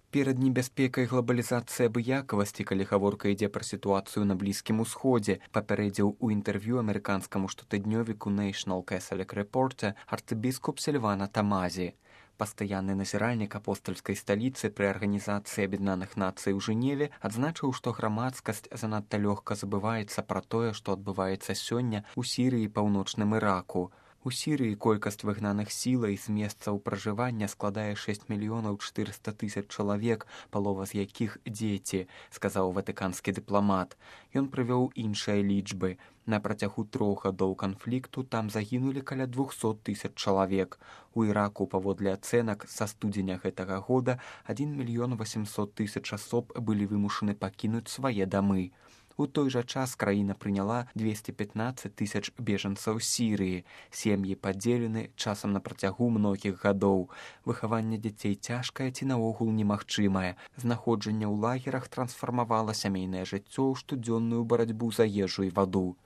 Перад небяспекай глобалізацыі абыякавасці, калі гаворка ідзе пра сітуацыю на Блізкім Усходзе, папярэдзіў у інтэрв'ю амерыканскаму штотыднёвіку National Catholic Reporter арцыбіскуп Сільвана Тамазі. Пастаянны назіральнік апостальскай сталіцы пры Арганізацыі Аб'яднаных Нацый у Жэневе адзначыў, што грамадскасць занадта лёгка забываецца пра тое, што адбываецца сёння ў Сірыі і Паўночным Іраку. У Сірыі колькасць выгнаных сілай з месцаў пражывання складае 6 мільёнаў 400 тысяч чалавек, палова з якіх дзеці, сказаў ватыканскі дыпламат. Ён прывёў іншыя лічбы. На працягу 3 гадоў канфлікту там загінулі каля 200 тысяч чалавек. У Іраку, паводле ацэнак, са студзеня гэтага года 1 мільён 800 тысяч асоб былі вымушаны пакінуць свае дамы. У той жа час краіна прыняла 215 тысяч бежанцаў Сірыі. Сем'і падзелены часам на працягу многіх гадоў. Выхаванне дзяцей цяжкае ці наогул немагчымае. Знаходжанне ў лагерах трансфармавала сямейнае жыццё ў штодзённую барацьбу за ежу і ваду.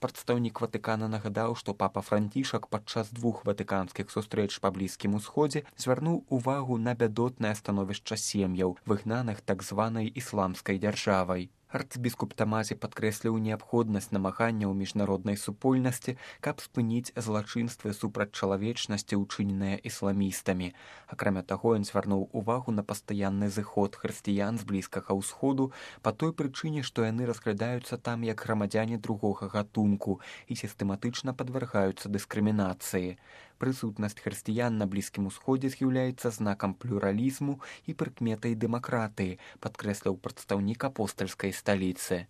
Прадстаўнік Ватыкана нагадаў, што папа Францішак падчас 2 ватыканскіх сустрэч па Блізкім Усходзе звярнуў увагу на бядотнае становішча сем'яў, выгнаных так званай ісламскай дзяржавай. Арцыбіскуп Тамазі падкрэсліў неабходнасць намаганняў міжнароднай супольнасці, каб спыніць злачынствы супраць чалавечнасці, учыненыя ісламістамі. Акрамя таго, ён звярнуў увагу на пастаянны зыход хрысціян з Блізкага ўсходу па той прычыне, што яны разглядаюцца там як грамадзяне другога гатунку і сістэматычна падвяргаюцца дыскрымінацыі. Прысутнасць хрысціян на Блізкім Усходзе з'яўляецца знакам плюралізму і прыкметай дэмакратыі, падкрэсліў прадстаўнік апостальскай сталіцы.